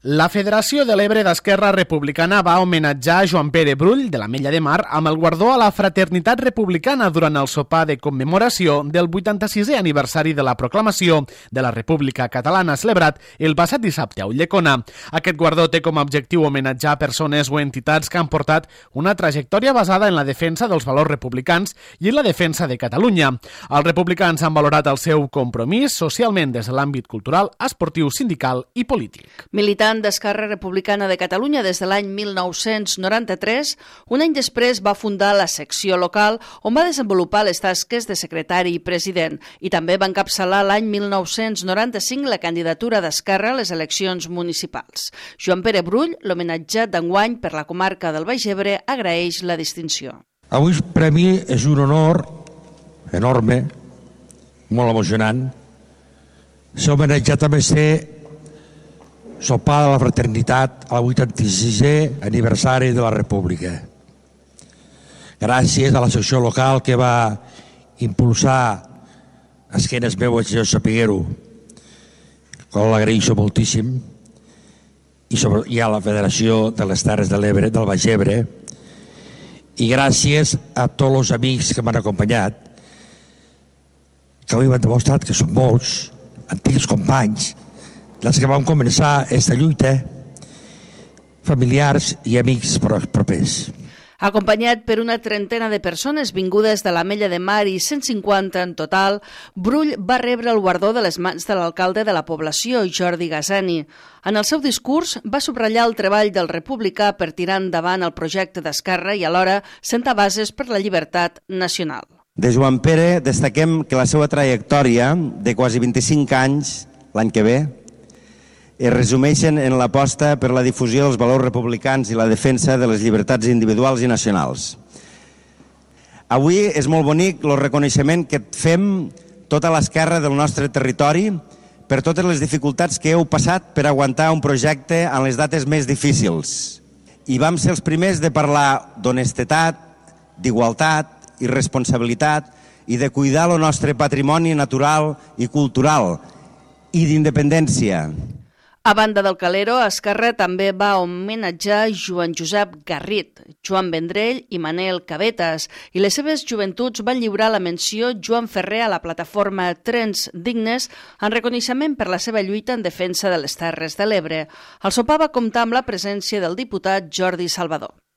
La Federació de l'Ebre d'Esquerra Republicana va homenatjar Joan Pere Brull, de l'Ametlla de Mar, amb el guardó a la fraternitat republicana durant el sopar de commemoració del 86è aniversari de la proclamació de la República Catalana, celebrat el passat dissabte a Ulldecona. Aquest guardó té com a objectiu homenatjar persones o entitats que han portat una trajectòria basada en la defensa dels valors republicans i en la defensa de Catalunya. Els republicans han valorat el seu compromís socialment des de l'àmbit cultural, esportiu, sindical i polític. Militant d'Esquerra Republicana de Catalunya des de l'any 1993, un any després va fundar la secció local on va desenvolupar les tasques de secretari i president i també va encapçalar l'any 1995 la candidatura d'Esquerra a les eleccions municipals. Joan Pere Brull, l'homenatjat d'enguany per la comarca del Baix Ebre, agraeix la distinció. Avui per a mi és un honor enorme, molt emocionant, ser homenatjat amb ser sopar de la fraternitat al 86è aniversari de la República. Gràcies a la secció local que va impulsar a esquenes meues i jo sapiguer-ho, que l'agraeixo moltíssim, i a la Federació de les Terres de l'Ebre, del Baix Ebre, i gràcies a tots els amics que m'han acompanyat, que avui m'han demostrat que són molts, antics companys, dels que vam començar aquesta lluita, familiars i amics propers. Acompanyat per una trentena de persones vingudes de l'Ametlla de Mar i 150 en total, Brull va rebre el guardó de les mans de l'alcalde de la població, Jordi Gasani. En el seu discurs va subratllar el treball del republicà per tirar endavant el projecte d'Esquerra i alhora sentar bases per la llibertat nacional. De Joan Pere destaquem que la seva trajectòria de quasi 25 anys, l'any que ve, es resumeixen en l'aposta per la difusió dels valors republicans i la defensa de les llibertats individuals i nacionals. Avui és molt bonic el reconeixement que fem tota l'esquerra del nostre territori per totes les dificultats que heu passat per aguantar un projecte en les dates més difícils. I vam ser els primers de parlar d'honestedat, d'igualtat i responsabilitat i de cuidar el nostre patrimoni natural i cultural i d'independència. A banda del Calero, Esquerra també va homenatjar Joan Josep Garrit, Joan Vendrell i Manel Cabetes, i les seves joventuts van lliurar la menció Joan Ferrer a la plataforma Trens Dignes en reconeixement per la seva lluita en defensa de les Terres de l'Ebre. El sopar va comptar amb la presència del diputat Jordi Salvador.